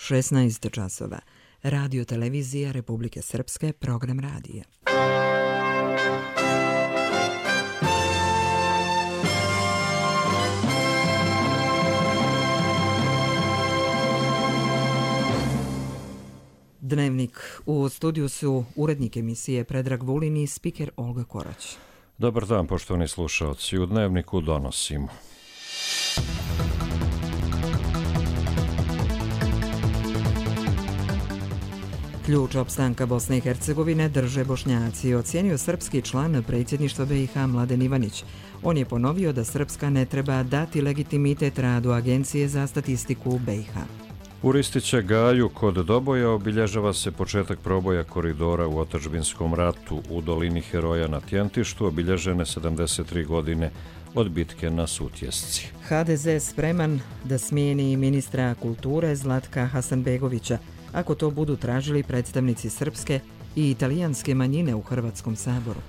16 časova. Radio televizija Republike Srpske, program radija. Dnevnik. U studiju su urednik emisije Predrag Vulin i spiker Olga Korać. Dobar dan, poštovani slušaoci. U Dnevniku donosimo. Ključ opstanka Bosne i Hercegovine drže Bošnjaci, ocijenio srpski član predsjedništva BiH Mladen Ivanić. On je ponovio da Srpska ne treba dati legitimitet radu Agencije za statistiku u BiH. U Ristiće Gaju kod Doboja obilježava se početak proboja koridora u otadžbinskom ratu. U dolini Heroja na Tjentištu obilježene 73 godine od bitke na Sutjesci. HDZ spreman da smijeni ministra kulture Zlatka Hasanbegovića, ako to budu tražili predstavnici srpske i italijanske manjine u Hrvatskom saboru.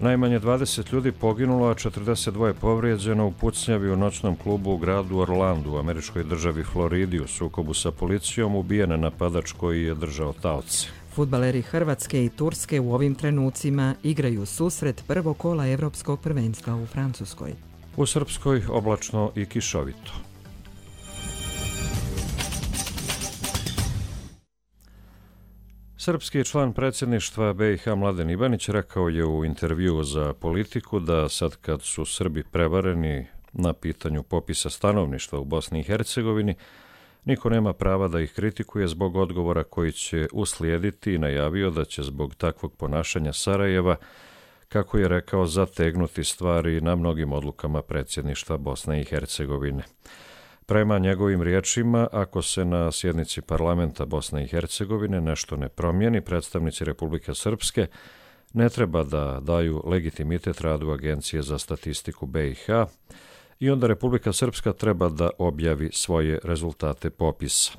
Najmanje 20 ljudi poginulo, a 42 povrijeđeno u pucnjavi u noćnom klubu u gradu Orlandu u američkoj državi Floridi. U sukobu sa policijom ubijen napadač koji je držao taoce. Fudbaleri Hrvatske i Turske u ovim trenucima igraju susret prvog kola Evropskog prvenstva u Francuskoj. U Srpskoj oblačno i kišovito. Srpski član predsjedništva BiH Mladen Ivanić rekao je u intervjuu za Politiku da sad kad su Srbi prevareni na pitanju popisa stanovništva u Bosni i Hercegovini, niko nema prava da ih kritikuje zbog odgovora koji će uslijediti i najavio da će zbog takvog ponašanja Sarajeva, kako je rekao, zategnuti stvari na mnogim odlukama predsjedništva Bosne i Hercegovine. Prema njegovim riječima, ako se na sjednici parlamenta Bosne i Hercegovine nešto ne promijeni, predstavnici Republike Srpske ne treba da daju legitimitet radu Agencije za statistiku BiH i onda Republika Srpska treba da objavi svoje rezultate popisa.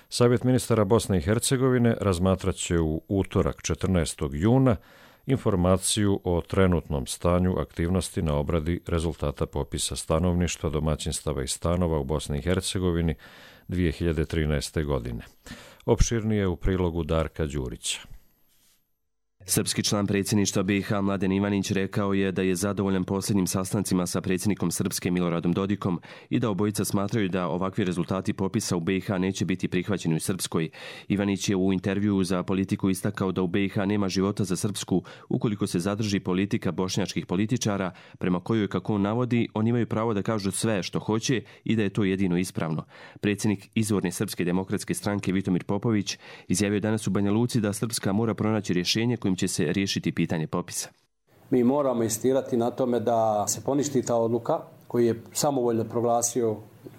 Savjet ministara Bosne i Hercegovine razmatrat će u utorak 14. juna informaciju o trenutnom stanju aktivnosti na obradi rezultata popisa stanovništva, domaćinstava i stanova u Bosni i Hercegovini 2013. godine. Opširnije u prilogu Darka Đurića. Srpski član predsjedništva BiH Mladen Ivanić rekao je da je zadovoljan posljednjim sastancima sa predsjednikom Srpske Miloradom Dodikom i da obojica smatraju da ovakvi rezultati popisa u BiH neće biti prihvaćeni u Srpskoj. Ivanić je u intervjuu za Politiku istakao da u BiH nema života za Srpsku ukoliko se zadrži politika bošnjačkih političara prema kojoj, kako on navodi, oni imaju pravo da kažu sve što hoće i da je to jedino ispravno. Predsjednik izvorne Srpske demokratske stranke Vitomir Popović izjavio danas u Banja Luci da Srpska mora pronaći rješenje kojim će se riješiti pitanje popisa. Mi moramo insistirati na tome da se poništi ta odluka koju je samovoljno proglasio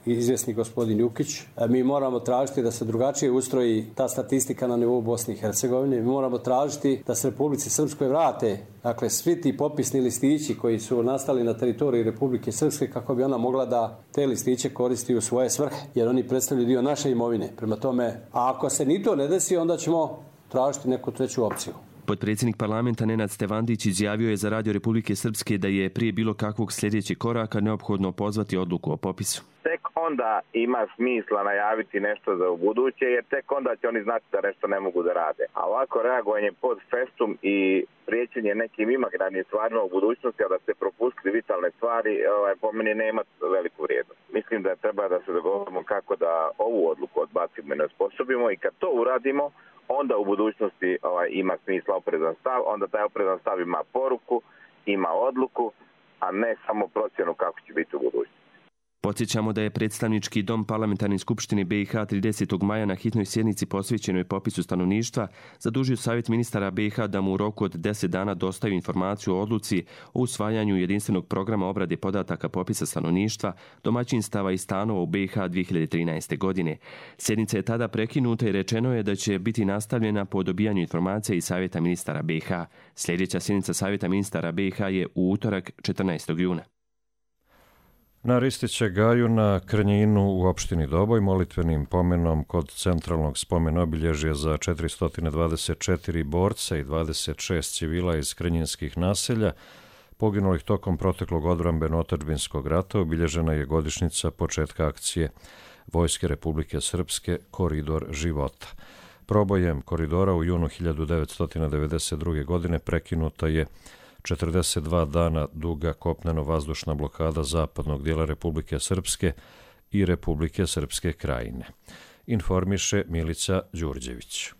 izvjesni gospodin Jukić. Mi moramo tražiti da se drugačije ustroji ta statistika na nivou Bosne i Hercegovine. Mi moramo tražiti da se Republici Srpskoj vrate, dakle, svi ti popisni listići koji su nastali na teritoriji Republike Srpske kako bi ona mogla da te listiće koristi u svoje svrhe, jer oni predstavljaju dio naše imovine. Prema tome, a ako se ni to ne desi, onda ćemo tražiti neku treću opciju. Potpredsjednik parlamenta Nenad Stevandić izjavio je za Radio Republike Srpske da je prije bilo kakvog sljedećeg koraka neophodno pozvati odluku o popisu. Tek onda ima smisla najaviti nešto za ubuduće, jer tek onda će oni znati da nešto ne mogu da rade. A ovako reagovanje pod festum i prijećenje nekim imaginarnim stvarima u budućnosti, a da se propustili vitalne stvari, po meni nema veliku vrijednost. Mislim da treba da se dogovorimo kako da ovu odluku odbacimo i ne osposobimo, i kad to uradimo, onda u budućnosti ima smisla oprezan stav, onda taj oprezan stav ima poruku, ima odluku, a ne samo procjenu kako će biti u budućnosti. Podsjećamo da je predstavnički dom parlamentarne skupštine BiH 30. maja na hitnoj sjednici posvećenoj popisu stanovništva zadužio Savjet ministara BiH da mu u roku od 10 dana dostavi informaciju o odluci o usvajanju jedinstvenog programa obrade podataka popisa stanovništva, domaćinstava i stanova u BiH 2013. godine. Sjednica je tada prekinuta i rečeno je da će biti nastavljena po dobijanju informacija iz Savjeta ministara BiH. Sljedeća sjednica Savjeta ministara BiH je u utorak 14. juna. Na Ristiće Gaju na Krnjinu u opštini Doboj molitvenim pomenom kod centralnog spomen obilježja za 424 borca i 26 civila iz krnjinskih naselja poginulih tokom proteklog odbrambeno-otadžbinskog rata obilježena je godišnjica početka akcije Vojske Republike Srpske Koridor života. Probojem koridora u junu 1992. godine prekinuta je 42 dana duga kopneno-vazdušna blokada zapadnog dijela Republike Srpske i Republike Srpske Krajine. Informiše Milica Đurđević.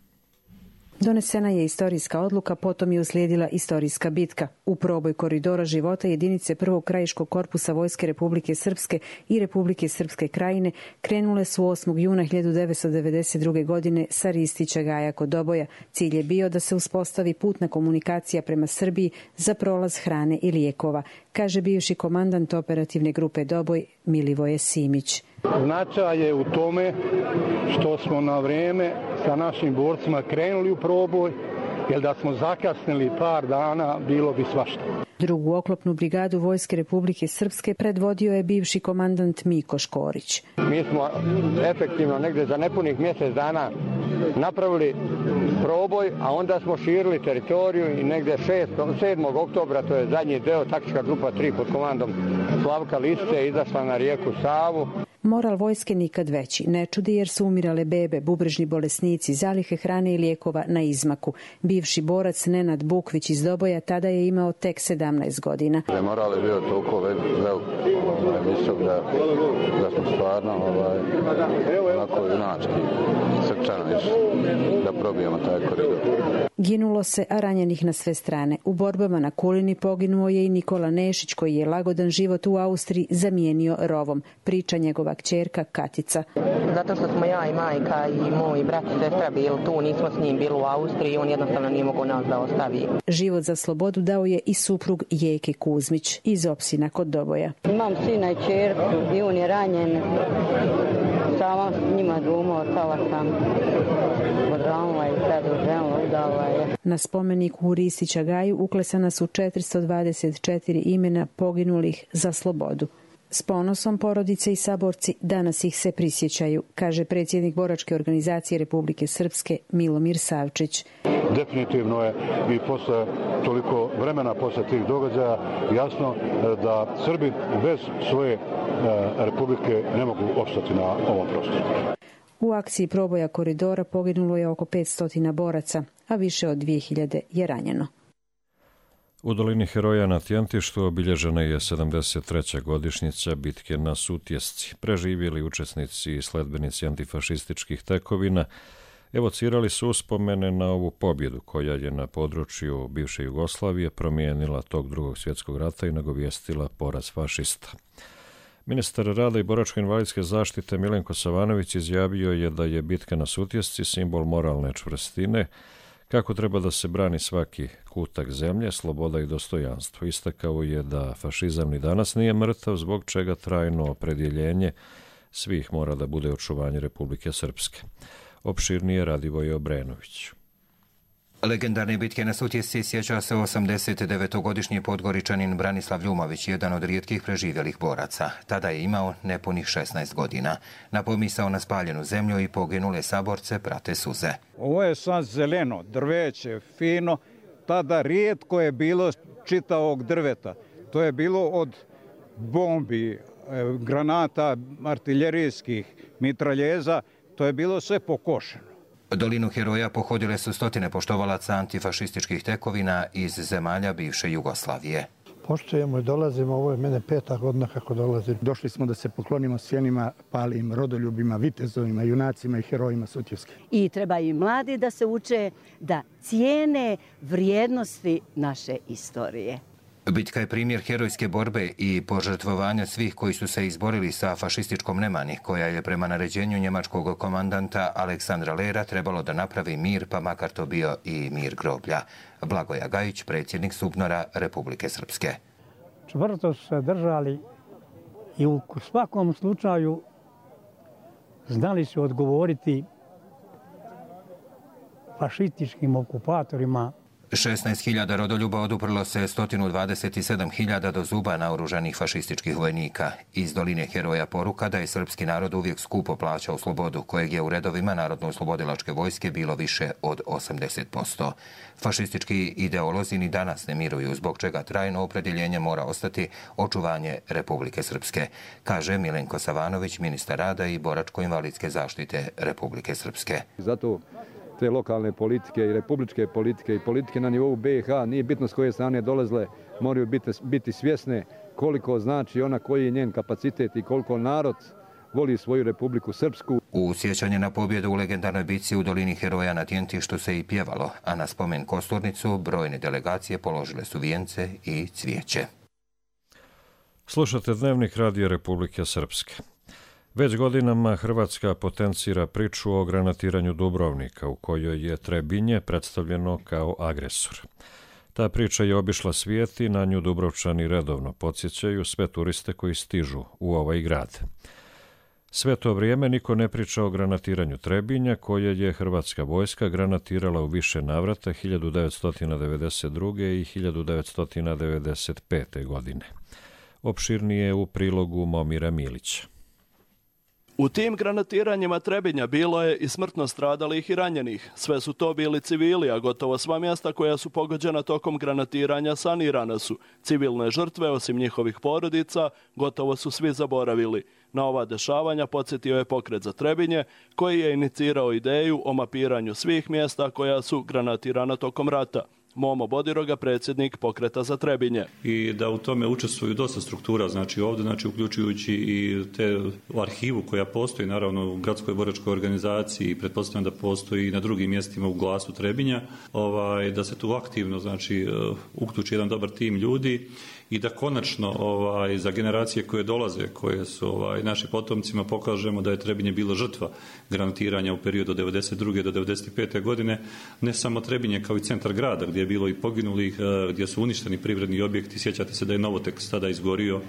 Donesena je istorijska odluka, potom je uslijedila istorijska bitka. U proboj koridora života jedinice prvog krajiškog korpusa Vojske Republike Srpske i Republike Srpske Krajine krenule su 8. juna 1992. godine sa Ristića Gaja kod Doboja. Cilj je bio da se uspostavi putna komunikacija prema Srbiji za prolaz hrane i lijekova, kaže bivši komandant operativne grupe Doboj Milivoje Simić. Značaj je u tome što smo na vrijeme sa našim borcima krenuli u proboj, jer da smo zakasnili par dana bilo bi svašta. Drugu oklopnu brigadu Vojske Republike Srpske predvodio je bivši komandant Miko Škorić. Mi smo efektivno negdje za nepunih mjesec dana napravili proboj, a onda smo širili teritoriju i negdje 7. oktobra, to je zadnji deo, taktička grupa 3 pod komandom Slavka Liste izašla na rijeku Savu. Moral vojske nikad veći. Ne čudi jer su umirale bebe, bubrežni bolesnici, zalihe hrane i lijekova na izmaku. Bivši borac Nenad Bukvić iz Doboja tada je imao tek 17 godina. Moral je bio toliko visok da smo stvarno onako junački srčano da probijemo taj koridor. Ginulo se, a ranjenih na sve strane. U borbama na Kulini poginuo je i Nikola Nešić, koji je lagodan život u Austriji zamijenio rovom. Priča njegova kćerka Katica. Zato što smo ja i majka i moj brat i sestra bili tu, nismo s njim bili u Austriji, on jednostavno nije mogao nas da ostavi. Život za slobodu dao je i suprug Jeke Kuzmić iz Opsina kod Doboja. Imam sina i kćerku i on je ranjen. Sama s njima dvoma ostala sam. Odranula i sad ženila, udala je. Na spomeniku u Ristića Gaju uklesana su 424 imena poginulih za slobodu. S ponosom porodice i saborci danas ih se prisjećaju, kaže predsjednik boračke organizacije Republike Srpske Milomir Savčić. Definitivno je i posle toliko vremena, posle tih događaja, jasno da Srbi bez svoje republike ne mogu opstati na ovom prostoru. U akciji proboja koridora poginulo je oko 500 boraca, a više od 2000 je ranjeno. U dolini Heroja na Tjentištu obilježena je 73. godišnjica bitke na Sutjesci. Preživjeli učesnici i sledbenici antifašističkih tekovina evocirali su uspomene na ovu pobjedu koja je na području bivše Jugoslavije promijenila tok Drugog svjetskog rata i nagovijestila poraz fašista. Ministar rada i boračko-invalidske zaštite Milenko Savanović izjavio je da je bitka na Sutjesci simbol moralne čvrstine, kako treba da se brani svaki kutak zemlje, sloboda i dostojanstvo. Istakao je da fašizam ni danas nije mrtav, zbog čega trajno opredjeljenje svih mora da bude očuvanje Republike Srpske. Opširnije Radivoje Obrenović. Legendarne bitke na Sutjesci sjeća se 89-godišnji podgoričanin Branislav Ljumović, jedan od rijetkih preživjelih boraca. Tada je imao nepunih 16 godina. Na pomisao na spaljenu zemlju i poginule saborce prate suze. Ovo je sad zeleno, drveće, fino. Tada rijetko je bilo čitavog drveta. To je bilo od bombi, granata, artiljerijskih, mitraljeza. To je bilo sve pokošeno. Dolinu Heroja pohodile su stotine poštovalaca antifašističkih tekovina iz zemalja bivše Jugoslavije. Poštujemo i dolazimo, ovo je mene 5. godina kako dolazim. Došli smo da se poklonimo sjenima, palim rodoljubima, vitezovima, junacima i herojima Sutjeske. I treba i mladi da se uče da cijene vrijednosti naše istorije. Bitka je primjer herojske borbe i požrtvovanja svih koji su se izborili sa fašističkom nemani, koja je prema naređenju njemačkog komandanta Aleksandra Lera trebalo da napravi mir, pa makar to bio i mir groblja. Blagoja Gajić, predsjednik SUBNOR-a Republike Srpske. Čvrsto su se držali i u svakom slučaju znali su odgovoriti fašističkim okupatorima 16.000 rodoljuba oduprlo se 127.000 do zuba naoružanih fašističkih vojnika. Iz Doline heroja poruka da je srpski narod uvijek skupo plaćao slobodu, kojeg je u redovima Narodno-oslobodilačke vojske bilo više od 80%. Fašistički ideolozi ni danas ne miruju, zbog čega trajno opredjeljenje mora ostati očuvanje Republike Srpske, kaže Milenko Savanović, ministar rada i boračko-invalidske zaštite Republike Srpske. Zato te lokalne politike i republičke politike i politike na nivou BiH, nije bitno s koje strane dolazile, moraju biti svjesne koliko znači ona, koji je njen kapacitet i koliko narod voli svoju Republiku Srpsku. U sjećanje na pobjedu u legendarnoj bitci u Dolini heroja na Tjentištu se i pjevalo, a na spomen Kosturnicu brojne delegacije položile su vijence i cvijeće. Slušate Dnevnik Radija Republike Srpske. Već godinama Hrvatska potencira priču o granatiranju Dubrovnika, u kojoj je Trebinje predstavljeno kao agresor. Ta priča je obišla svijet i na nju Dubrovčani redovno podsjećaju sve turiste koji stižu u ovaj grad. Sve to vrijeme niko ne priča o granatiranju Trebinja, koje je hrvatska vojska granatirala u više navrata 1992. i 1995. godine. Opširnije u prilogu Momira Milića. U tim granatiranjima Trebinja bilo je i smrtno stradalih i ranjenih. Sve su to bili civili, a gotovo sva mjesta koja su pogođena tokom granatiranja sanirana su. Civilne žrtve, osim njihovih porodica, gotovo su svi zaboravili. Na ova dešavanja podsjetio je Pokret za Trebinje, koji je inicirao ideju o mapiranju svih mjesta koja su granatirana tokom rata. Momo Bodiroga, predsjednik Pokreta za Trebinje. I da u tome učestvuju dosta struktura, znači ovdje, znači uključujući i te arhivu koja postoji, naravno u gradskoj boračkoj organizaciji, pretpostavljam da postoji i na drugim mjestima u Glasu Trebinja, da se tu aktivno, znači, uključi jedan dobar tim ljudi i da konačno za generacije koje dolaze, koje su naši potomcima, pokažemo da je Trebinje bilo žrtva granatiranja u periodu od 1992. do 1995. godine, ne samo Trebinje kao i centar grada gdje je bilo i poginulih, gdje su uništeni privredni objekti. Sjećate se da je Novotekst tada izgorio,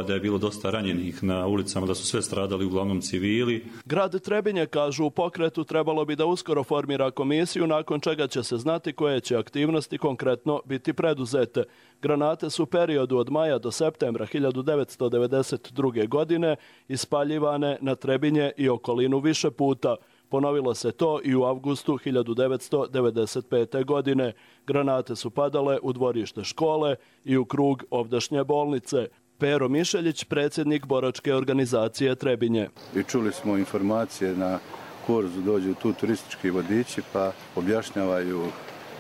da je bilo dosta ranjenih na ulicama, da su sve stradali, uglavnom civili. Grad Trebinje, kažu u Pokretu, trebalo bi da uskoro formira komisiju, nakon čega će se znati koje će aktivnosti konkretno biti preduzete. Granate su u periodu od maja do septembra 1992. godine ispaljivane na Trebinje i okolinu više puta. Ponovilo se to i u avgustu 1995. godine. Granate su padale u dvorište škole i u krug ovdašnje bolnice. Pero Mišeljić, predsjednik boračke organizacije Trebinje. I čuli smo informacije, na Korzu dođu tu turistički vodiči pa objašnjavaju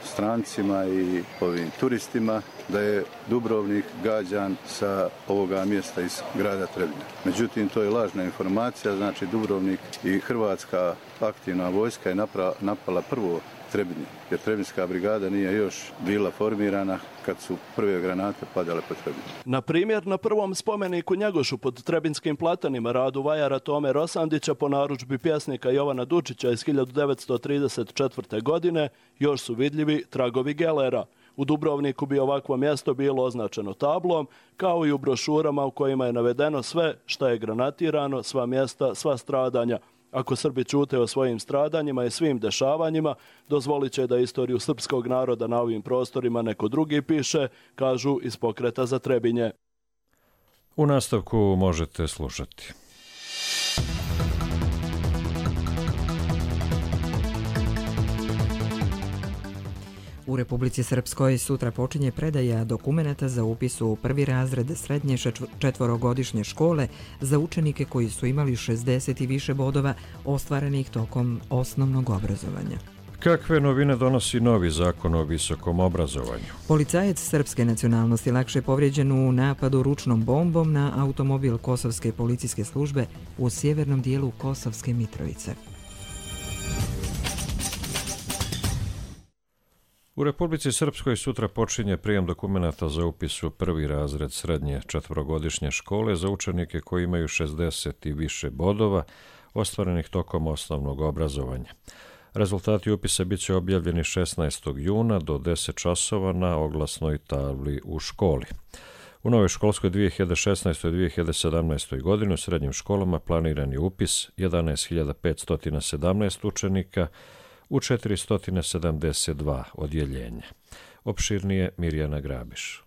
strancima i ovim turistima da je Dubrovnik gađan sa ovoga mjesta iz grada Trebinja. Međutim, to je lažna informacija, znači Dubrovnik i hrvatska aktivna vojska je napala prvo Trebinje, jer Trebinjska brigada nije još bila formirana kad su prve granate padale po Trebinju. Na primjer, na prvom spomeniku Njegošu pod Trebinjskim platanima radu vajara Tome Rosandića po narudžbi pjesnika Jovana Dučića iz 1934. godine još su vidljivi tragovi gelera. U Dubrovniku bi ovakvo mjesto bilo označeno tablom, kao i u brošurama u kojima je navedeno sve što je granatirano, sva mjesta, sva stradanja. Ako Srbi ćute o svojim stradanjima i svim dešavanjima, dozvolit će da istoriju srpskog naroda na ovim prostorima neko drugi piše, kažu iz Pokreta za Trebinje. U nastavku možete slušati. U Republici Srpskoj sutra počinje predaja dokumenata za upis u prvi razred srednje četvorogodišnje škole za učenike koji su imali 60 i više bodova ostvarenih tokom osnovnog obrazovanja. Kakve novine donosi novi zakon o visokom obrazovanju? Policajac srpske nacionalnosti lakše povrijeđen u napadu ručnom bombom na automobil Kosovske policijske službe u sjevernom dijelu Kosovske Mitrovice. U Republici Srpskoj sutra počinje prijem dokumenata za upis u prvi razred srednje četvorogodišnje škole za učenike koji imaju 60 i više bodova ostvarenih tokom osnovnog obrazovanja. Rezultati upisa bit će objavljeni 16. juna do 10 časova na oglasnoj tabli u školi. U novoj školskoj 2016. i 2017. godini u srednjim školama planiran je upis 11.517 učenika, u 472 odjeljenja. Opširnije Mirjana Grabiš.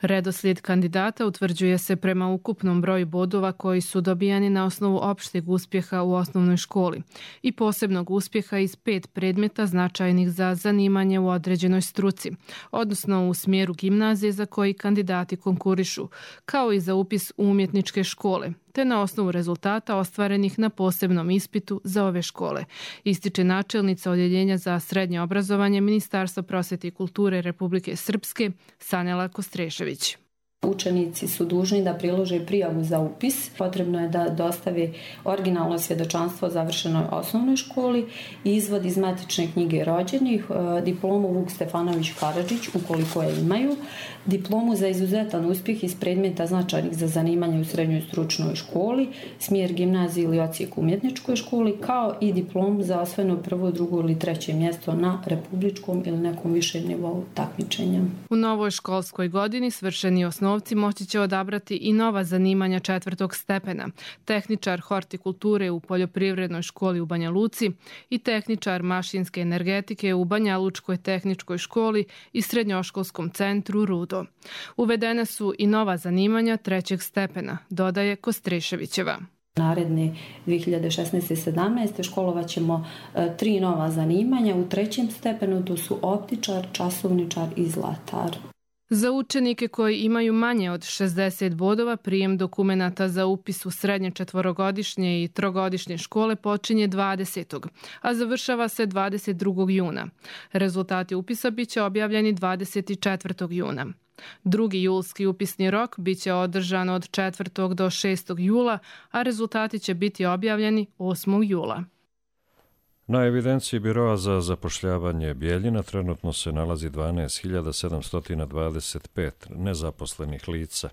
Redoslijed kandidata utvrđuje se prema ukupnom broju bodova koji su dobijani na osnovu opšteg uspjeha u osnovnoj školi i posebnog uspjeha iz 5 predmeta značajnih za zanimanje u određenoj struci, odnosno u smjeru gimnazije za koji kandidati konkurišu, kao i za upis u umjetničke škole, te na osnovu rezultata ostvarenih na posebnom ispitu za ove škole, ističe načelnica Odjeljenja za srednje obrazovanje Ministarstva prosvjete i kulture Republike Srpske Sanela Kostrešević. Učenici su dužni da prilože prijavu za upis. Potrebno je da dostave originalno svjedočanstvo o završenoj osnovnoj školi, izvod iz matične knjige rođenih, diplomu Vuk Stefanović Karadžić ukoliko je imaju, diplomu za izuzetan uspjeh iz predmeta značajnih za zanimanje u srednjoj stručnoj školi, smjer gimnaziji ili odsjek u umjetničkoj školi, kao i diplomu za osvojeno prvo, drugo ili treće mjesto na republičkom ili nekom višem nivou takmičenja. U novoj školskoj godini svršeni osnovci moći će odabrati i nova zanimanja 4. stepena, tehničar hortikulture u poljoprivrednoj školi u Banja Luci i tehničar mašinske energetike u Banja Lučkoj tehničkoj školi i srednjoškolskom centru Rudo. Uvedene su i nova zanimanja 3. stepena, dodaje Kostreševićeva. Naredne 2016-17 školovat ćemo 3 nova zanimanja. U 3. stepenu to su optičar, časovničar i zlatar. Za učenike koji imaju manje od 60 bodova, prijem dokumenata za upis u srednje 4-godišnje i 3-godišnje škole počinje 20. a završava se 22. juna. Rezultati upisa biće objavljeni 24. juna. 2. julski upisni rok biće održan od 4. do 6. jula, a rezultati će biti objavljeni 8. jula. Na evidenciji Biroa za zapošljavanje Bijeljina trenutno se nalazi 12.725 nezaposlenih lica.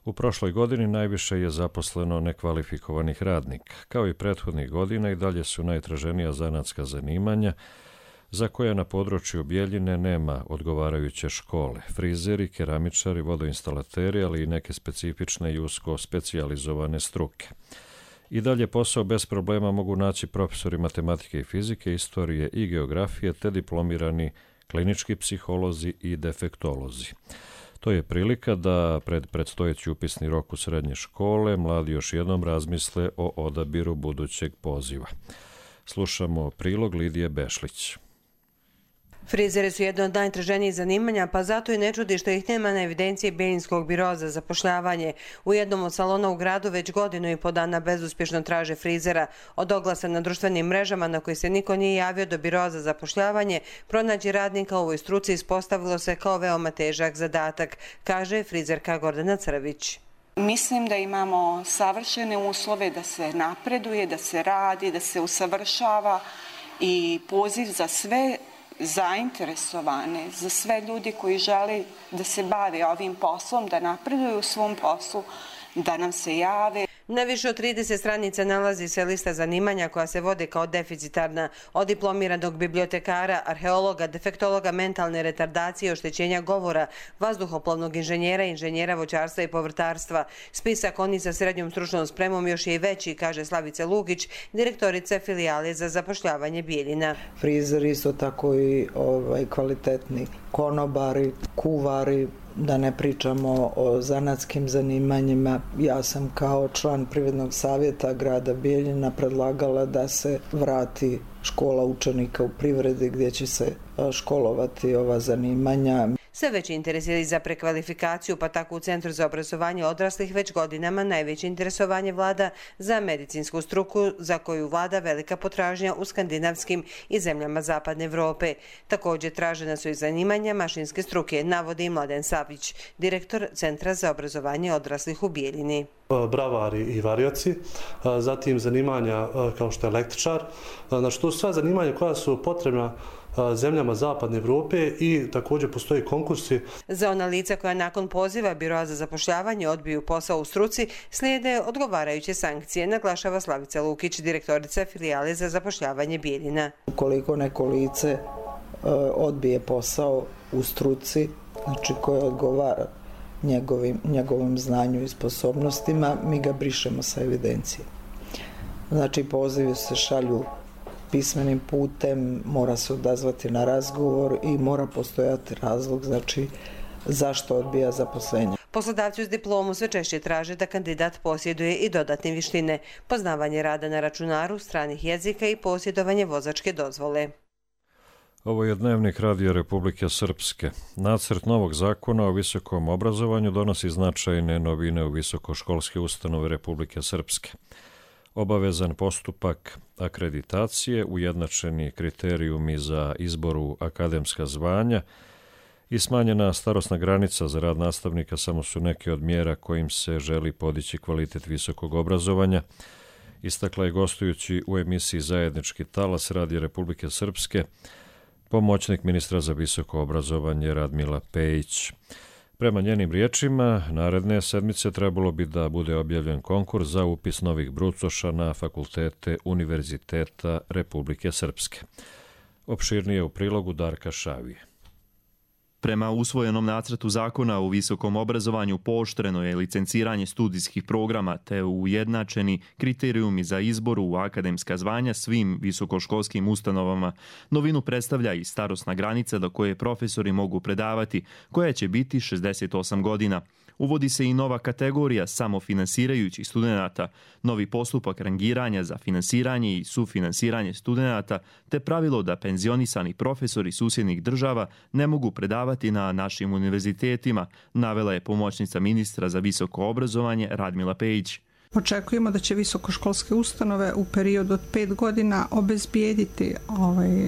U prošloj godini najviše je zaposleno nekvalifikovanih radnika. Kao i prethodnih godina i dalje su najtraženija zanatska zanimanja za koje na području Bijeljine nema odgovarajuće škole. Frizeri, keramičari, vodoinstalateri, ali i neke specifične i usko specijalizovane struke. I dalje posao bez problema mogu naći profesori matematike i fizike, istorije i geografije, te diplomirani klinički psiholozi i defektolozi. To je prilika da pred predstojeći upisni rok u srednje škole mladi još jednom razmisle o odabiru budućeg poziva. Slušamo prilog Lidije Bešlić. Frizeri su jedno od najtraženijih zanimanja, pa zato i ne čudi što ih nema na evidenciji Bijeljinskog biroa za zapošljavanje. U jednom od salona u gradu već 1,5 godina bezuspješno traže frizera. Od oglasa na društvenim mrežama na koji se niko nije javio do biroa za zapošljavanje, pronaći radnika u ovoj struci ispostavilo se kao veoma težak zadatak, kaže frizerka Gordana Crvić. Mislim da imamo savršene uslove da se napreduje, da se radi, da se usavršava i poziv za sve zainteresovane, za sve ljudi koji žele da se bave ovim poslom, da napreduju u svom poslu, da nam se jave. Na više od 30 stranica nalazi se lista zanimanja koja se vode kao deficitarna, od diplomiranog bibliotekara, arheologa, defektologa mentalne retardacije, oštećenja govora, vazduhoplovnog inženjera, inženjera voćarstva i povrtarstva. Spisak onih sa srednjom stručnom spremom još je i veći, kaže Slavica Lugić, direktorica filijale za zapošljavanje Bijeljina. Frizeri isto tako i kvalitetni konobari, kuvari, da ne pričamo o zanatskim zanimanjima. Ja sam kao član Privrednog savjeta grada Bijeljina predlagala da se vrati škola učenika u privredi gdje će se školovati ova zanimanja. Sve veći interes je za prekvalifikaciju, pa tako u Centru za obrazovanje odraslih već godinama najveće interesovanje vlada za medicinsku struku za koju vlada velika potražnja u skandinavskim i zemljama Zapadne Evrope. Također tražena su i zanimanja mašinske struke, navodi Mladen Savić, direktor Centra za obrazovanje odraslih u Bijeljini. Bravari i varioci, zatim zanimanja kao što je električar. Znači, to su sva zanimanja koja su potrebna zemljama Zapadne Evrope i također postoje konkursi. Za ona lica koja nakon poziva Biroa za zapošljavanje odbiju posao u struci slijede odgovarajuće sankcije, naglašava Slavica Lukić, direktorica filijale za zapošljavanje Bijeljina. Ukoliko neko lice odbije posao u struci, znači koje odgovara njegovim znanju i sposobnostima, mi ga brišemo sa evidencije. Znači pozivi se šalju pismenim putem, mora se odazvati na razgovor i mora postojati razlog, znači zašto odbija zaposlenje. Poslodavci uz diplomu sve češće traže da kandidat posjeduje i dodatne vještine, poznavanje rada na računaru, stranih jezika i posjedovanje vozačke dozvole. Ovo je Dnevnik Radija Republike Srpske. Nacrt novog zakona o visokom obrazovanju donosi značajne novine u visokoškolske ustanove Republike Srpske. Obavezan postupak akreditacije, ujednačeni kriterijumi za izboru akademska zvanja i smanjena starosna granica za rad nastavnika samo su neke od mjera kojim se želi podići kvalitet visokog obrazovanja, istakla je gostujući u emisiji Zajednički talas Radija Republike Srpske pomoćnik ministra za visoko obrazovanje Radmila Pejić. Prema njenim riječima, naredne sedmice trebalo bi da bude objavljen konkurs za upis novih brucoša na fakultete Univerziteta Republike Srpske. Opširnije u prilogu Darka Šavije. Prema usvojenom nacrtu zakona o visokom obrazovanju pooštreno je licenciranje studijskih programa te ujednačeni kriterijumi za izbor u akademska zvanja svim visokoškolskim ustanovama. Novinu predstavlja i starosna granica do koje profesori mogu predavati, koja će biti 68 godina. Uvodi se i nova kategorija samofinansirajućih studenata, novi postupak rangiranja za finansiranje i sufinansiranje studenata, te pravilo da penzionisani profesori susjednih država ne mogu predavati na našim univerzitetima, navela je pomoćnica ministra za visoko obrazovanje Radmila Pejić. Očekujemo da će visokoškolske ustanove u periodu od 5 godina obezbijediti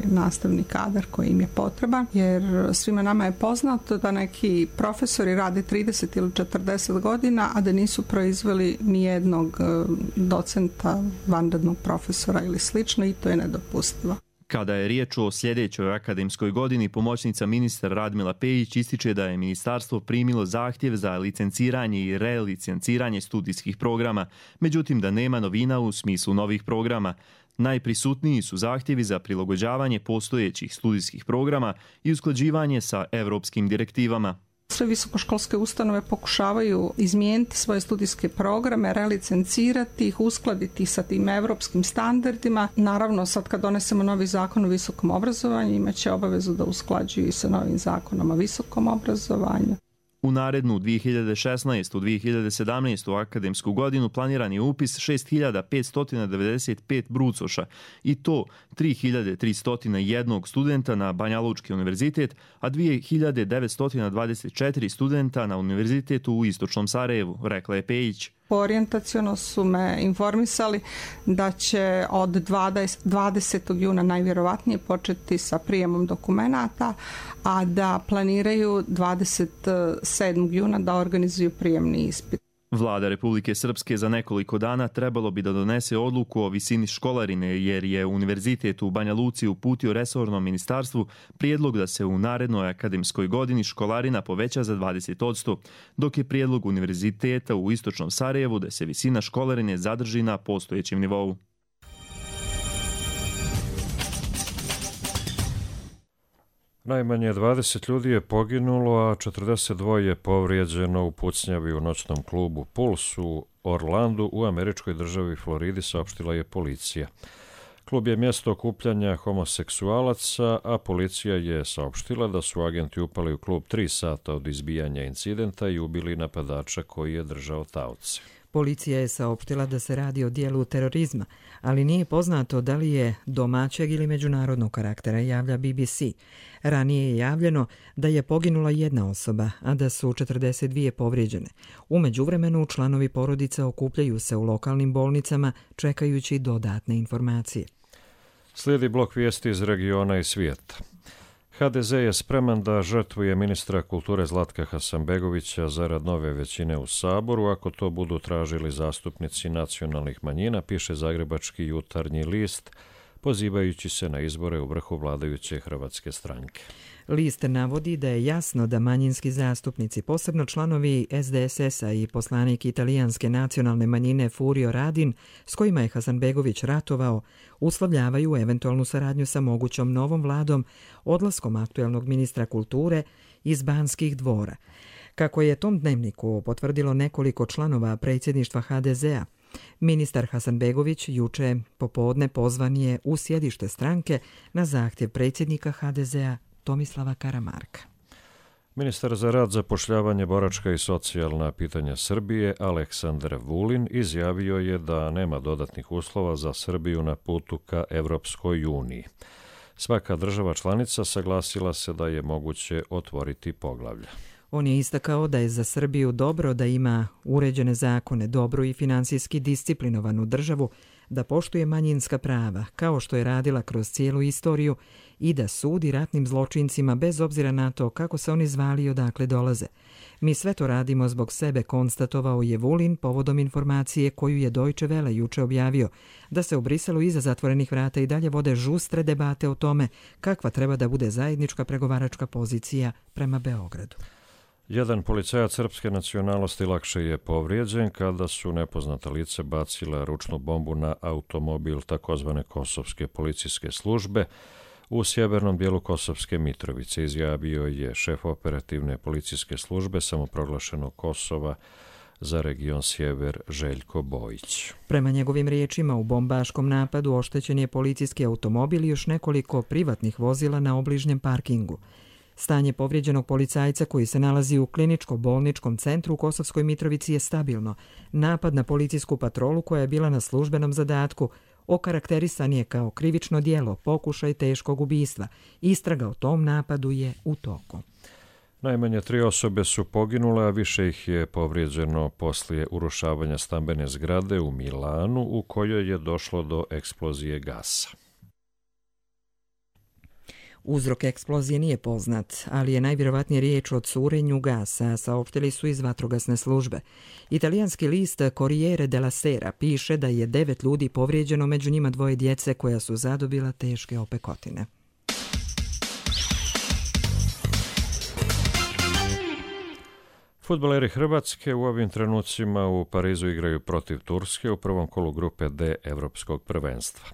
nastavni kadar koji im je potreban, jer svima nama je poznato da neki profesori rade 30 ili 40 godina, a da nisu proizveli nijednog docenta, vanrednog profesora ili slično, i to je nedopustivo. Kada je riječ o sljedećoj akademskoj godini, pomoćnica ministra Radmila Pejić ističe da je ministarstvo primilo zahtjev za licenciranje i relicenciranje studijskih programa, međutim da nema novina u smislu novih programa. Najprisutniji su zahtjevi za prilagođavanje postojećih studijskih programa i usklađivanje sa europskim direktivama. Sve visokoškolske ustanove pokušavaju izmijeniti svoje studijske programe, relicencirati ih, uskladiti sa tim evropskim standardima. Naravno, sad kad donesemo novi zakon o visokom obrazovanju, imaće obavezu da usklađuju i sa novim zakonom o visokom obrazovanju. U narednu 2016-2017 akademsku godinu planiran je upis 6.595 brucoša i to 3.301 studenta na Banja Lučki univerzitet, a 2.924 studenta na univerzitetu u Istočnom Sarajevu, rekla je Pejić. Orijentaciono su me informisali da će od 20. juna najvjerovatnije početi sa prijemom dokumenata, a da planiraju 27. juna da organizuju prijemni ispit. Vlada Republike Srpske za nekoliko dana trebalo bi da donese odluku o visini školarine, jer je univerzitet u Banja Luci uputio resornom ministarstvu prijedlog da se u narednoj akademskoj godini školarina poveća za 20%, dok je prijedlog univerziteta u Istočnom Sarajevu da se visina školarine zadrži na postojećem nivou. Najmanje 20 ljudi je poginulo, a 42 je povrijeđeno u pucnjavi u noćnom klubu Puls u Orlandu u američkoj državi Floridi, saopštila je policija. Klub je mjesto okupljanja homoseksualaca, a policija je saopštila da su agenti upali u klub 3 sata od izbijanja incidenta i ubili napadača koji je držao taoce. Policija je saopštila da se radi o dijelu terorizma, ali nije poznato da li je domaćeg ili međunarodnog karaktera, javlja BBC. Ranije je javljeno da je poginula jedna osoba, a da su 42 povrijeđene. U međuvremenu članovi porodice okupljaju se u lokalnim bolnicama čekajući dodatne informacije. Slijedi blok vijesti iz regiona i svijeta. HDZ je spreman da žrtvuje ministra kulture Zlatka Hasanbegovića zarad nove većine u Saboru, ako to budu tražili zastupnici nacionalnih manjina, piše Zagrebački jutarnji list, pozivajući se na izbore u vrhu vladajuće Hrvatske stranke. List navodi da je jasno da manjinski zastupnici, posebno članovi SDSS-a i poslanik italijanske nacionalne manjine Furio Radin, s kojima je Hasanbegović ratovao, uslovljavaju eventualnu saradnju sa mogućom novom vladom odlaskom aktuelnog ministra kulture iz Banskih dvora. Kako je tom dnevniku potvrdilo nekoliko članova predsjedništva HDZ-a, Ministar Hasanbegović juče popodne pozvan je u sjedište stranke na zahtjev predsjednika HDZ-a Tomislava Karamarka. Ministar za rad, zapošljavanje, boračka i socijalna pitanja Srbije Aleksandar Vulin izjavio je da nema dodatnih uslova za Srbiju na putu ka Evropskoj uniji. Svaka država članica saglasila se da je moguće otvoriti poglavlja. On je istakao da je za Srbiju dobro da ima uređene zakone, dobru i finansijski disciplinovanu državu, da poštuje manjinska prava, kao što je radila kroz cijelu istoriju, i da sudi ratnim zločincima bez obzira na to kako se oni zvali i odakle dolaze. Mi sve to radimo zbog sebe, konstatovao je Vulin povodom informacije koju je Deutsche Welle juče objavio, da se u Briselu iza zatvorenih vrata i dalje vode žustre debate o tome kakva treba da bude zajednička pregovaračka pozicija prema Beogradu. Jedan policajac srpske nacionalnosti lakše je povrijeđen kada su nepoznata lice bacila ručnu bombu na automobil takozvane kosovske policijske službe u sjevernom dijelu Kosovske Mitrovice, izjavio je šef operativne policijske službe samoproglašenog Kosova za region Sjever Željko Bojić. Prema njegovim riječima, u bombaškom napadu oštećen je policijski automobil i još nekoliko privatnih vozila na obližnjem parkingu. Stanje povrijeđenog policajca koji se nalazi u kliničko-bolničkom centru u Kosovskoj Mitrovici je stabilno. Napad na policijsku patrolu koja je bila na službenom zadatku okarakterisan je kao krivično djelo, pokušaj teškog ubistva. Istraga o tom napadu je u toku. Najmanje 3 osobe su poginule, a više ih je povrijeđeno poslije urušavanja stambene zgrade u Milanu u kojoj je došlo do eksplozije gasa. Uzrok eksplozije nije poznat, ali je najvjerovatnije riječ o curenju gasa, saopštili su iz vatrogasne službe. Italijanski list Corriere della Sera piše da je 9 ljudi povrijeđeno, među njima 2 djece koja su zadobila teške opekotine. Fudbaleri Hrvatske u ovim trenucima u Parizu igraju protiv Turske u prvom kolu grupe D Evropskog prvenstva.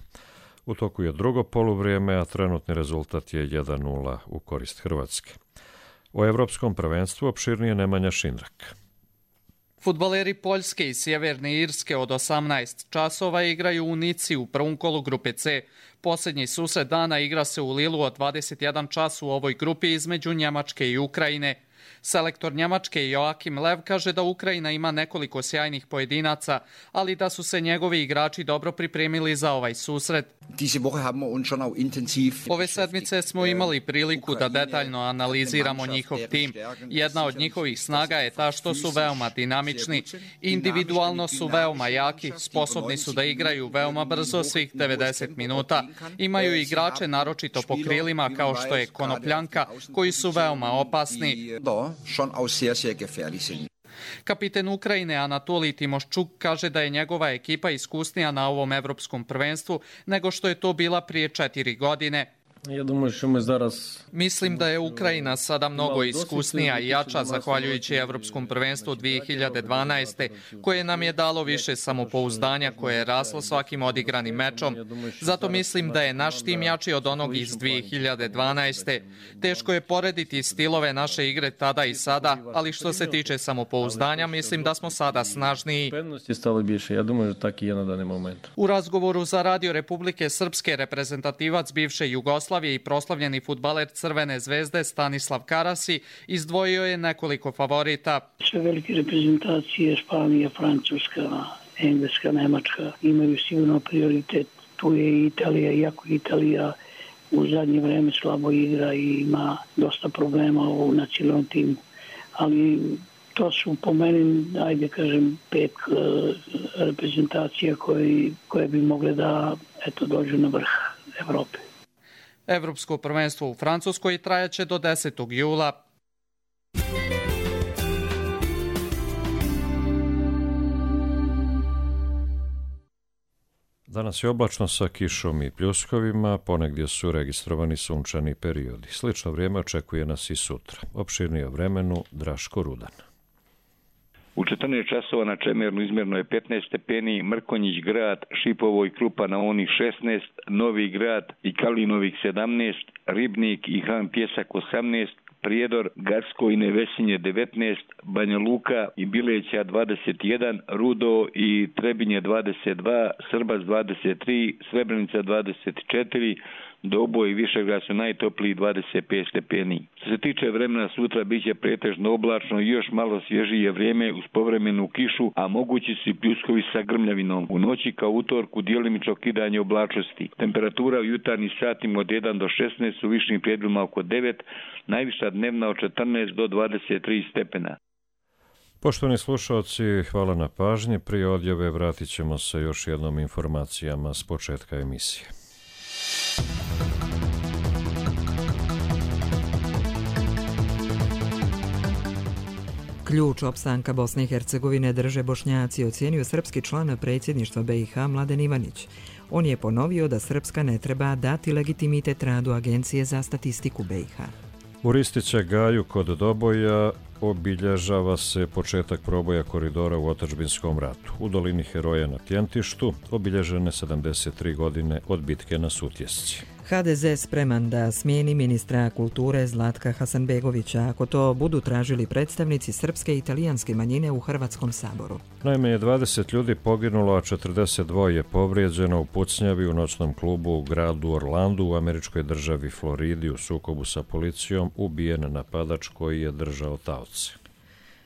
U toku je drugo poluvrijeme, a trenutni rezultat je 1:0 u korist Hrvatske. O Evropskom prvenstvu opširnije Nemanja Šindrak. Fudbaleri Poljske i Sjeverne Irske od 18 časova igraju u Nici u prvom kolu grupe C. Posljednji susret dana igra se u Lilu od 21 čas u ovoj grupi između Njemačke i Ukrajine. Selektor Njemačke Joachim Lev kaže da Ukrajina ima nekoliko sjajnih pojedinaca, ali da su se njegovi igrači dobro pripremili za ovaj susret. Ove sedmice smo imali priliku da detaljno analiziramo njihov tim. Jedna od njihovih snaga je ta što su veoma dinamični. Individualno su veoma jaki, sposobni su da igraju veoma brzo svih 90 minuta. Imaju igrače naročito po krilima kao što je Konopljanka, koji su veoma opasni. Kapiten Ukrajine Anatolij Timoščuk kaže da je njegova ekipa iskusnija na ovom evropskom prvenstvu nego što je to bila prije 4 godine. Mislim da je Ukrajina sada mnogo iskusnija i jača zahvaljujući Evropskom prvenstvu 2012. koje nam je dalo više samopouzdanja koje je raslo svakim odigranim mečom. Zato mislim da je naš tim jači od onog iz 2012. Teško je porediti stilove naše igre tada i sada, ali što se tiče samopouzdanja, mislim da smo sada snažniji. U razgovoru za Radio Republike Srpske reprezentativac bivše Jugoslavije i proslavljeni fudbaler Crvene zvezde Stanislav Karasi izdvojio je nekoliko favorita. Sve velike reprezentacije, Španija, Francuska, Engleska, Nemačka, imaju sigurno prioritet. Tu je i Italija, iako Italija u zadnje vreme slabo igra i ima dosta problema u nacionalnom timu. Ali to su po meni, ajde kažem, 5 reprezentacija koje bi mogle da dođu na vrh Evrope. Evropsko prvenstvo u Francuskoj trajaće do 10. jula. Danas je oblačno sa kišom i pljuskovima, ponegdje su registrovani sunčani periodi. Slično vrijeme očekuje nas i sutra. Opširnije o vremenu Draško Rudan. U 14 časova na Čemernu izmjerno je 15 stepeni, Mrkonjić grad, Šipovo i Krupa na onih 16, Novi grad i Kalinovih 17, Ribnik i Han Pjesak 18, Prijedor, Garsko i Nevesinje 19, Banja Luka i Bileća 21, Rudo i Trebinje 22, Srbac 23, Srebrenica 24, Doboj i Višegrad su najtopliji 25 stepeni. Što se tiče vremena, sutra biće pretežno oblačno i još malo svježije vrijeme uz povremenu kišu, a mogući su i pljuskovi sa grmljavinom. U noći kao utorku djelimično kidanje oblačnosti. Temperatura u jutarnjim satima od 1 do 16, u višim predjelima oko 9, najviša dnevna od 14 do 23 stepena. Poštovani slušalci, hvala na pažnji. Prije odjave vratit ćemo se još jednom informacijama s početka emisije. Ključ opstanka Bosne i Hercegovine drže Bošnjaci, ocijenio srpski član predsjedništva BiH Mladen Ivanić. On je ponovio da Srpska ne treba dati legitimitet radu Agencije za statistiku BiH. U Ristića Gaju kod Doboja obilježava se početak proboja koridora u otadžbinskom ratu. U dolini Heroja na Tjentištu obilježene 73 godine od bitke na Sutjesci. HDZ spreman da smijeni ministra kulture Zlatka Hasanbegovića ako to budu tražili predstavnici srpske i italijanske manjine u Hrvatskom saboru. Najmanje 20 ljudi poginulo, a 42 je povrijeđeno u pucnjavi u noćnom klubu u gradu Orlandu u američkoj državi Floridi u sukobu sa policijom ubijen napadač koji je držao taoce.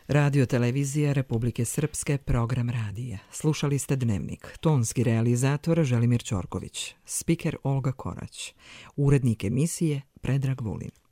Radio televizija Republike Srpske, program radija. Slušali ste Dnevnik. Tonski realizator Želimir Ćorković. Spiker Olga Korać. Urednik emisije Predrag Vulin.